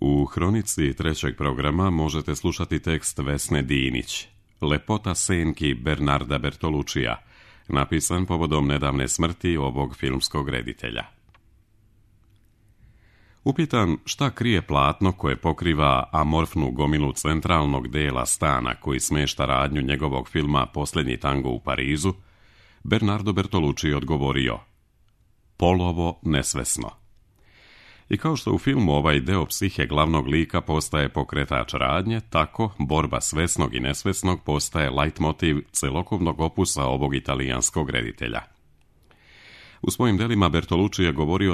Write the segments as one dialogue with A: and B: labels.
A: U hronici trećeg programa možete slušati tekst Vesne Dinić, Lepota senki Bernarda Bertolucija, napisan povodom nedavne smrti ovog filmskog reditelja. Upitan šta krije platno koje pokriva amorfnu gomilu centralnog dela stana koji smešta radnju njegovog filma Posljednji tango u Parizu, Bernardo Bertolucci odgovorio: polovo nesvesno. I kao što u filmu ovaj deo psihe glavnog lika postaje pokretač radnje, tako borba svesnog i nesvesnog postaje leitmotiv celokupnog opusa ovog italijanskog reditelja. U svojim delima Bertolucci je govorio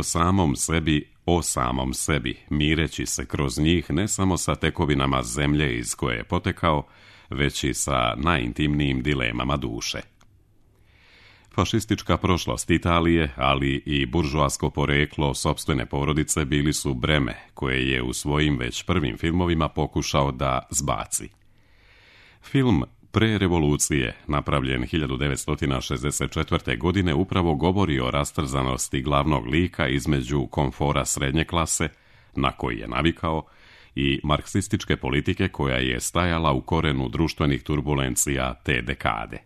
A: o samom sebi, mireći se kroz njih ne samo sa tekovinama zemlje iz koje je potekao, već i sa najintimnijim dilemama duše. Fašistička prošlost Italije, ali i buržoasko poreklo sopstvene porodice bili su breme koje je u svojim već prvim filmovima pokušao da zbaci. Film Pre revolucije, napravljen 1964. godine, upravo govori o rastrzanosti glavnog lika između komfora srednje klase, na koji je navikao, i marksističke politike koja je stajala u korenu društvenih turbulencija te dekade.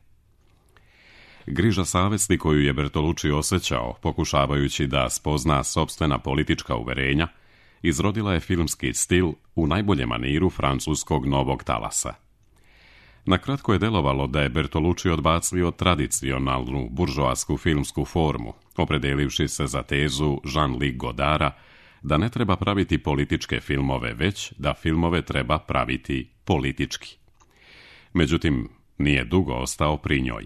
A: Griža savesti koju je Bertolucci osjećao, pokušavajući da spozna sopstvena politička uverenja, izrodila je filmski stil u najboljem maniru francuskog novog talasa. Nakratko je delovalo da je Bertolucci odbacio tradicionalnu buržoasku filmsku formu, opredelivši se za tezu Jean-Luc Godara da ne treba praviti političke filmove, već da filmove treba praviti politički. Međutim, nije dugo ostao pri njoj.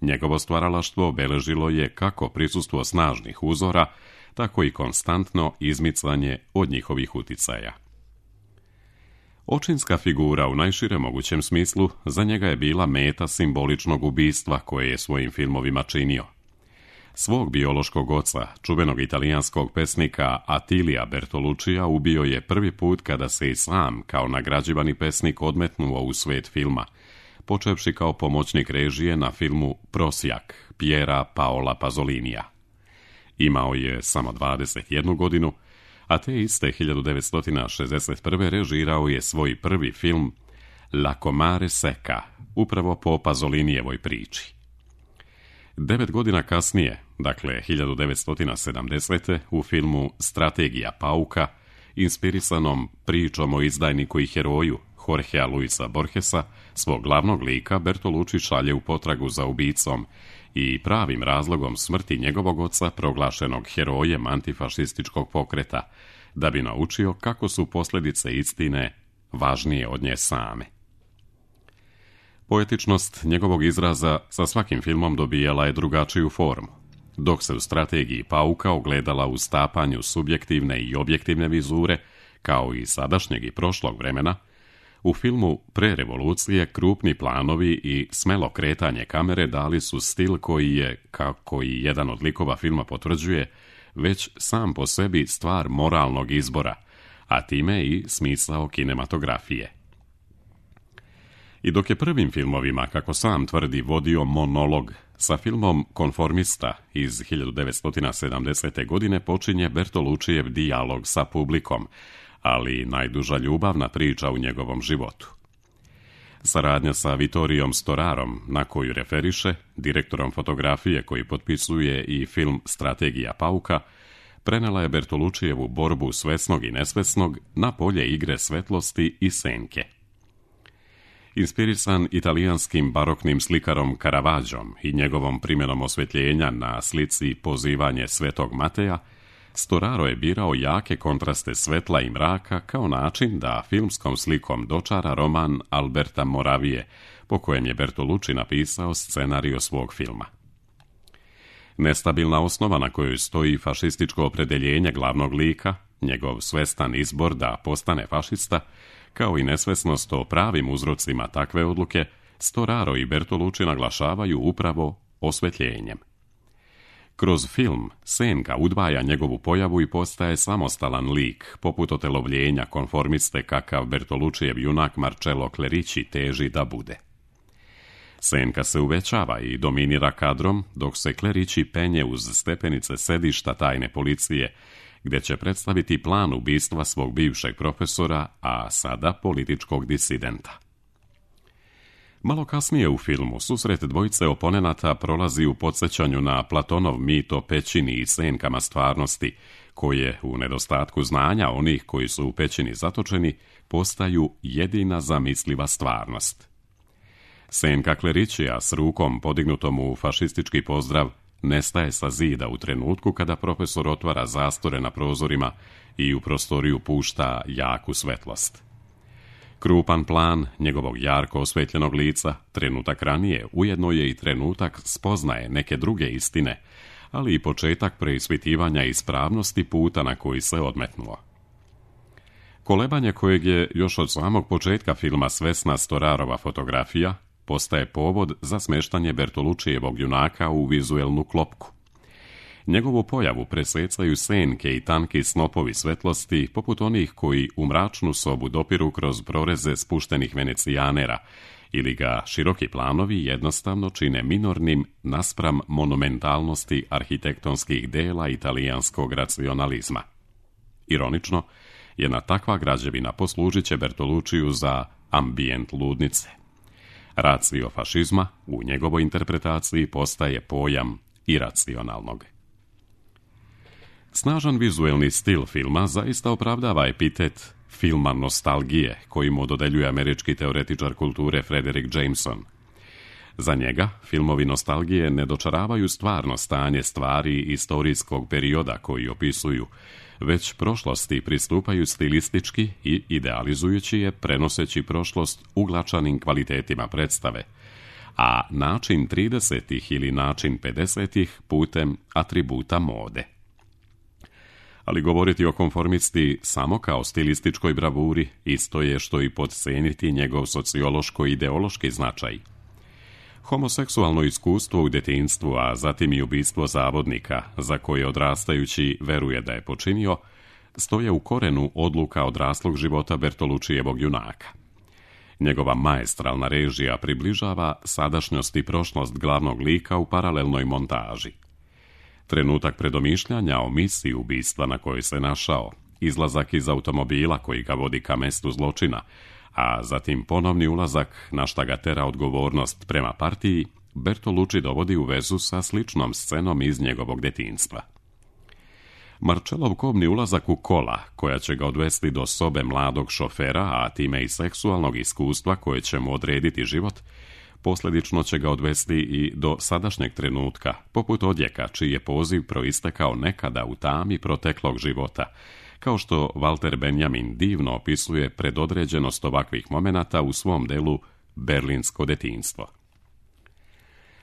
A: Njegovo stvaralaštvo obeležilo je kako prisustvo snažnih uzora, tako i konstantno izmicanje od njihovih uticaja. Očinska figura u najširem mogućem smislu za njega je bila meta simboličnog ubistva koje je svojim filmovima činio. Svog biološkog oca, čuvenog italijanskog pesnika Attilija Bertoluccija, ubio je prvi put kada se i sam, kao nagrađivani pesnik, odmetnuo u svet filma, počevši kao pomoćnik režije na filmu Prosjak Piera Paola Pazolinija. Imao je samo 21 godinu, a te iste 1961. režirao je svoj prvi film La Comare Secca, upravo po Pazolinijevoj priči. 9 godina kasnije, dakle 1970. u filmu Strategija pauka, inspirisanom pričom o izdajniku i heroju Jorgea Luisa Borgesa, svog glavnog lika Bertolucci šalje u potragu za ubicom i pravim razlogom smrti njegovog oca, proglašenog herojem antifašističkog pokreta, da bi naučio kako su posljedice istine važnije od nje same. Poetičnost njegovog izraza sa svakim filmom dobijala je drugačiju formu, dok se u Strategiji pauka ogledala u stapanju subjektivne i objektivne vizure, kao i sadašnjeg i prošlog vremena. U filmu Pre revolucije krupni planovi i smelo kretanje kamere dali su stil koji je, kako i jedan od likova filma potvrđuje, već sam po sebi stvar moralnog izbora, a time i smisao kinematografije. I dok je prvim filmovima, kako sam tvrdi, vodio monolog, sa filmom Konformista iz 1970. godine počinje Bertoluccijev dijalog sa publikom, ali najduža ljubavna priča u njegovom životu. Saradnja sa Vittoriom Storarom, na koju referiše, direktorom fotografije koji potpisuje i film Strategija pauka, prenela je Bertoluccijevu borbu svesnog i nesvesnog na polje igre svetlosti i senke. Inspirisan italijanskim baroknim slikarom Caravaggiom i njegovom primjenom osvjetljenja na slici Pozivanje Svetog Mateja, Storaro je birao jake kontraste svetla i mraka kao način da filmskom slikom dočara roman Alberta Moravije, po kojem je Bertolucci napisao scenarijo svog filma. Nestabilna osnova na kojoj stoji fašističko opredeljenje glavnog lika, njegov svestan izbor da postane fašista, kao i nesvesnost o pravim uzrocima takve odluke, Storaro i Bertolucci naglašavaju upravo osvjetljenjem. Kroz film Senka udvaja njegovu pojavu i postaje samostalan lik, poput otelovljenja konformiste kakav Bertoluccijev junak Marcello Clerici teži da bude. Senka se uvećava i dominira kadrom, dok se Clerici penje uz stepenice sedišta tajne policije gdje će predstaviti plan ubistva svog bivšeg profesora, a sada političkog disidenta. Malo kasnije u filmu susret dvojice oponenata prolazi u podsjećanju na Platonov mit o pećini i senkama stvarnosti, koje, u nedostatku znanja onih koji su u pećini zatočeni, postaju jedina zamisliva stvarnost. Senka klerićija s rukom podignutom u fašistički pozdrav nestaje sa zida u trenutku kada profesor otvara zastore na prozorima i u prostoriju pušta jaku svetlost. Krupan plan njegovog jarko osvetljenog lica, trenutak ranije, ujedno je i trenutak spoznaje neke druge istine, ali i početak preispitivanja ispravnosti puta na koji se odmetnuo. Kolebanje kojeg je još od samog početka filma svesna Storarova fotografija postaje povod za smeštanje Bertolučijevog junaka u vizuelnu klopku. Njegovu pojavu presecaju senke i tanki snopovi svetlosti, poput onih koji u mračnu sobu dopiru kroz proreze spuštenih venecijanera, ili ga široki planovi jednostavno čine minornim naspram monumentalnosti arhitektonskih dela italijanskog racionalizma. Ironično, jedna takva građevina poslužit će Bertolučiju za ambijent ludnice. Racio fašizma u njegovoj interpretaciji postaje pojam iracionalnog. Snažan vizuelni stil filma zaista opravdava epitet filma nostalgije koji mu dodeljuje američki teoretičar kulture Frederick Jameson. Za njega, filmovi nostalgije ne dočaravaju stvarno stanje stvari istorijskog perioda koji opisuju, već prošlosti pristupaju stilistički i idealizujući je, prenoseći prošlost uglačanim kvalitetima predstave, a način 30-ih ili način 50-ih putem atributa mode. Ali govoriti o konformisti samo kao stilističkoj bravuri isto je što i podceniti njegov sociološko-ideološki značaj. Homoseksualno iskustvo u djetinjstvu, a zatim i ubistvo zavodnika, za koje odrastajući veruje da je počinio, stoje u korenu odluka odraslog života Bertolučijevog junaka. Njegova maestralna režija približava sadašnjost i prošlost glavnog lika u paralelnoj montaži. Trenutak predomišljanja o misiji ubistva na kojoj se našao, izlazak iz automobila koji ga vodi ka mestu zločina, a zatim ponovni ulazak na šta ga tera odgovornost prema partiji, Bertolucci dovodi u vezu sa sličnom scenom iz njegovog djetinjstva. Marcellov kobni ulazak u kola, koja će ga odvesti do sobe mladog šofera, a time i seksualnog iskustva koje će mu odrediti život, posljedično će ga odvesti i do sadašnjeg trenutka, poput odjeka čiji je poziv proistekao nekada u tami proteklog života, kao što Walter Benjamin divno opisuje predodređenost ovakvih momenata u svom delu Berlinsko djetinjstvo.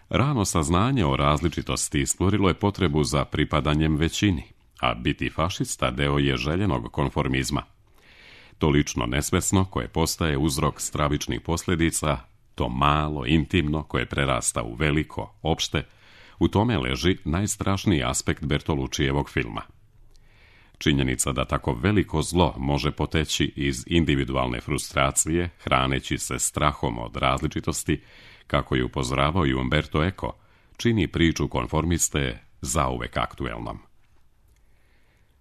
A: Rano saznanje o različitosti stvorilo je potrebu za pripadanjem većini, a biti fašista deo je željenog konformizma. To lično nesvesno koje postaje uzrok stravičnih posljedica, to malo, intimno koje prerasta u veliko, opšte, u tome leži najstrašniji aspekt Bertolučijevog filma. Činjenica da tako veliko zlo može poteći iz individualne frustracije, hraneći se strahom od različitosti, kako je upozoravao i Umberto Eco, čini priču konformiste zauvek aktuelnom.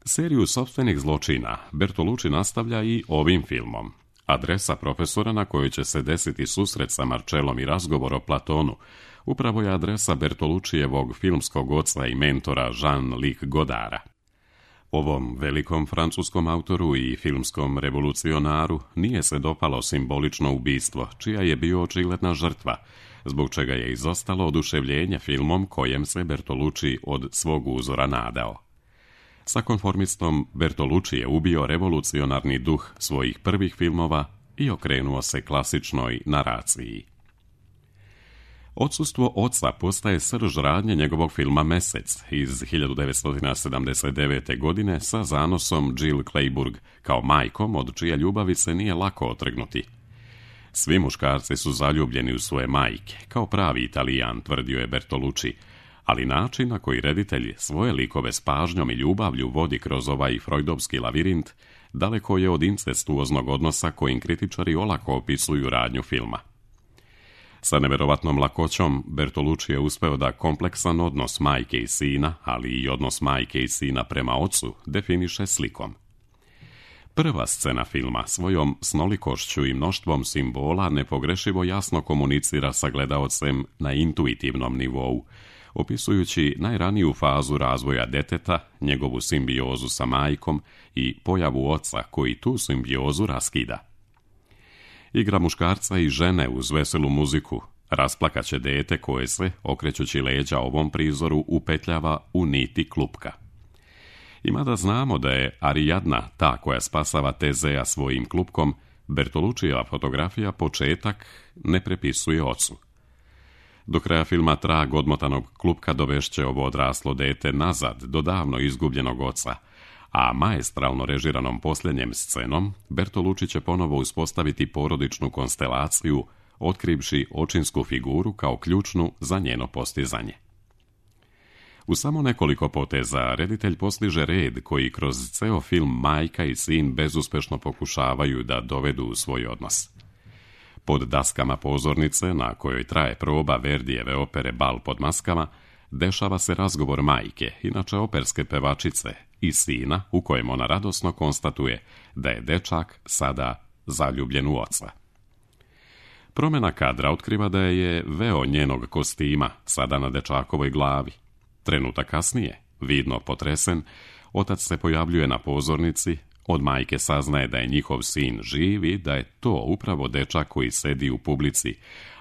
A: Seriju sopstvenih zločina Bertolucci nastavlja i ovim filmom. Adresa profesora na kojoj će se desiti susret sa Marcellom i razgovor o Platonu upravo je adresa Bertolučijevog filmskog oca i mentora Jean-Luc Godara. Ovom velikom francuskom autoru i filmskom revolucionaru nije se dopalo simbolično ubistvo, čija je bio očigledna žrtva, zbog čega je izostalo oduševljenje filmom kojem se Bertolucci od svog uzora nadao. Sa konformistom Bertolucci je ubio revolucionarni duh svojih prvih filmova i okrenuo se klasičnoj naraciji. Odsustvo oca postaje srž radnje njegovog filma Mesec iz 1979. godine sa zanosom Jill Clayburgh kao majkom od čije ljubavi se nije lako otrgnuti. Svi muškarci su zaljubljeni u svoje majke, kao pravi Italijan, tvrdio je Bertolucci, ali način na koji reditelj svoje likove s pažnjom i ljubavlju vodi kroz ovaj freudovski lavirint daleko je od incestuoznog odnosa kojim kritičari olako opisuju radnju filma. Sa nevjerovatnom lakoćom Bertolucci je uspeo da kompleksan odnos majke i sina, ali i odnos majke i sina prema ocu, definiše slikom. Prva scena filma svojom snolikošću i mnoštvom simbola nepogrešivo jasno komunicira sa gledaocem na intuitivnom nivou, opisujući najraniju fazu razvoja deteta, njegovu simbiozu sa majkom i pojavu oca koji tu simbiozu raskida. Igra muškarca i žene uz veselu muziku rasplakaće dete koje se, okrećući leđa ovom prizoru, upetljava u niti klupka. I mada znamo da je Ariadna ta koja spasava Tezea svojim klupkom, Bertoluccijeva fotografija početak ne prepisuje ocu. Do kraja filma trag odmotanog klupka dovešće ovo odraslo dete nazad do davno izgubljenog oca, a maestralno režiranom posljednjem scenom Bertolucci će ponovo uspostaviti porodičnu konstelaciju, otkrivši očinsku figuru kao ključnu za njeno postizanje. U samo nekoliko poteza reditelj postiže red koji kroz ceo film majka i sin bezuspešno pokušavaju da dovedu u svoj odnos. Pod daskama pozornice, na kojoj traje proba Verdijeve opere Bal pod maskama, dešava se razgovor majke, inače operske pevačice, i sina, u kojem ona radosno konstatuje da je dečak sada zaljubljen u oca. Promjena kadra otkriva da je veo njenog kostima sada na dečakovoj glavi. Trenutak kasnije, vidno potresen, otac se pojavljuje na pozornici, od majke saznaje da je njihov sin živ i da je to upravo dečak koji sedi u publici,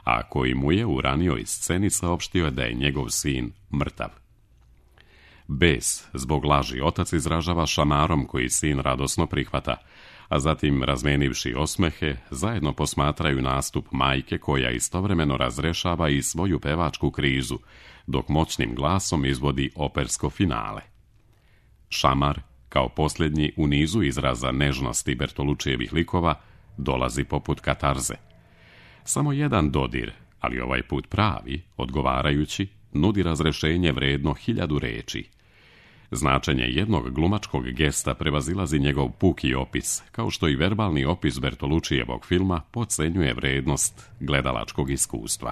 A: a koji mu je u ranijoj sceni saopštio da je njegov sin mrtav. Bes zbog laži otac izražava šamarom koji sin radosno prihvata, a zatim, razmenivši osmehe, zajedno posmatraju nastup majke koja istovremeno razrešava i svoju pevačku krizu, dok moćnim glasom izvodi opersko finale. Šamar, kao posljednji u nizu izraza nežnosti Bertoluccijevih likova, dolazi poput katarze. Samo jedan dodir, ali ovaj put pravi, odgovarajući, nudi razrešenje vredno 1000 reči. Značenje jednog glumačkog gesta prevazilazi njegov puki opis, kao što i verbalni opis Bertoluccijevog filma podcenjuje vrednost gledalačkog iskustva.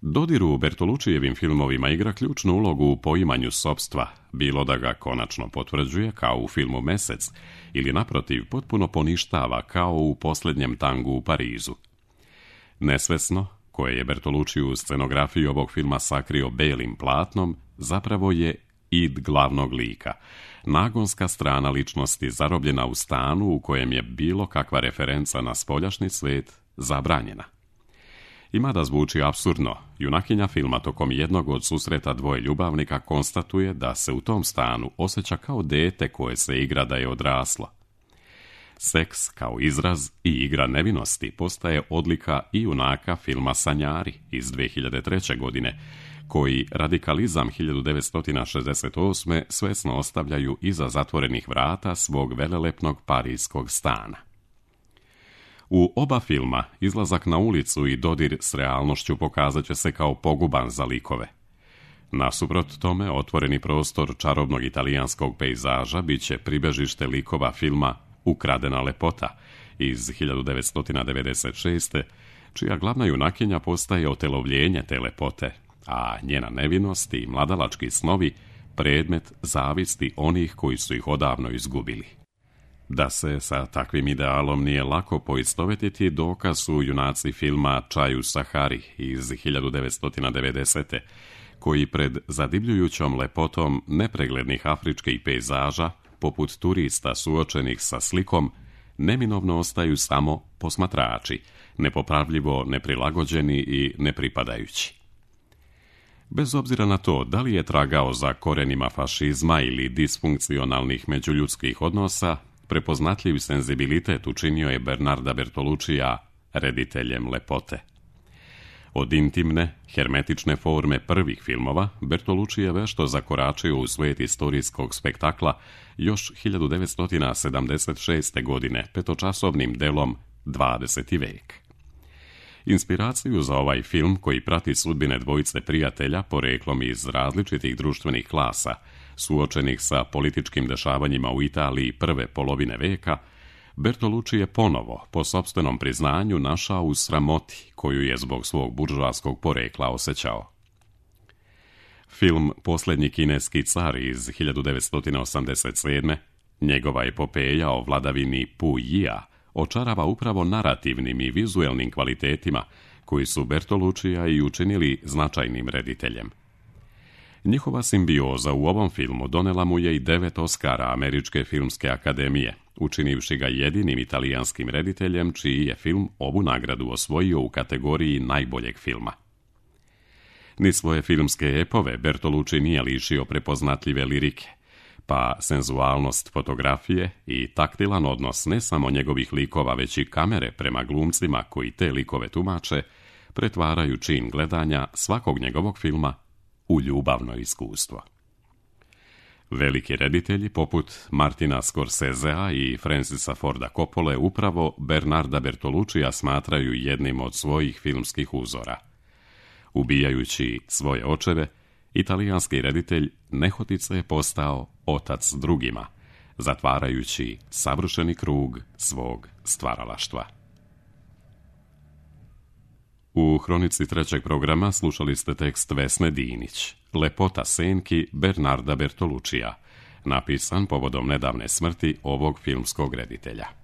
A: Dodir u Bertoluccijevim filmovima igra ključnu ulogu u poimanju sopstva, bilo da ga konačno potvrđuje kao u filmu Mesec ili naprotiv potpuno poništava kao u Posljednjem tangu u Parizu. Nesvesno, koje je Bertolucci u scenografiji ovog filma sakrio belim platnom, zapravo je id glavnog lika, nagonska strana ličnosti zarobljena u stanu u kojem je bilo kakva referenca na spoljašnji svet zabranjena. I mada zvuči apsurdno, junakinja filma tokom jednog od susreta dvoje ljubavnika konstatuje da se u tom stanu osjeća kao dete koje se igra da je odraslo. Seks kao izraz i igra nevinosti postaje odlika i junaka filma Sanjari iz 2003. godine, koji radikalizam 1968. svesno ostavljaju iza zatvorenih vrata svog velelepnog parijskog stana. U oba filma izlazak na ulicu i dodir s realnošću pokazat će se kao poguban za likove. Nasuprot tome, otvoreni prostor čarobnog italijanskog pejzaža bit će pribežište likova filma Ukradena lepota iz 1996. čija glavna junakinja postaje otelovljenje te lepote, a njena nevinost i mladalački snovi predmet zavisti onih koji su ih odavno izgubili. Da se sa takvim idealom nije lako poistovetiti, dokaz su junaci filma Čaj u Sahari iz 1990. koji pred zadivljujućom lepotom nepreglednih afričkih pejzaža, poput turista suočenih sa slikom, neminovno ostaju samo posmatrači, nepopravljivo neprilagođeni i nepripadajući. Bez obzira na to da li je tragao za korenima fašizma ili disfunkcionalnih međuljudskih odnosa, prepoznatljiv senzibilitet učinio je Bernarda Bertoluccija rediteljem lepote. Od intimne, hermetične forme prvih filmova, Bertolucci je vešto zakoračio u svijet istorijskog spektakla još 1976. godine petočasovnim delom 20. vek. Inspiraciju za ovaj film, koji prati sudbine dvojice prijatelja poreklom iz različitih društvenih klasa, suočenih sa političkim dešavanjima u Italiji prve polovine veka, Bertolucci je ponovo, po sopstvenom priznanju, našao u sramoti koju je zbog svog buržoaskog porekla osjećao. Film Posljednji kineski car iz 1987. njegova epopeja o vladavini Pu Jia očarava upravo narativnim i vizuelnim kvalitetima koji su Bertoluccija i učinili značajnim rediteljem. Njihova simbioza u ovom filmu donela mu je i 9 Oscara Američke filmske akademije, učinivši ga jedinim italijanskim rediteljem čiji je film ovu nagradu osvojio u kategoriji najboljeg filma. Ni svoje filmske epove Bertolucci nije lišio prepoznatljive lirike, pa senzualnost fotografije i taktilan odnos ne samo njegovih likova, već i kamere prema glumcima koji te likove tumače, pretvaraju čin gledanja svakog njegovog filma u ljubavno iskustvo. Veliki reditelji poput Martina Scorsesea i Francisa Forda Coppole upravo Bernarda Bertoluccija smatraju jednim od svojih filmskih uzora. Ubijajući svoje očeve, italijanski reditelj nehotice je postao otac drugima, zatvarajući savršeni krug svog stvaralaštva. U hronici trećeg programa slušali ste tekst Vesne Dinić, Lepota senki Bernarda Bertoluccija, napisan povodom nedavne smrti ovog filmskog reditelja.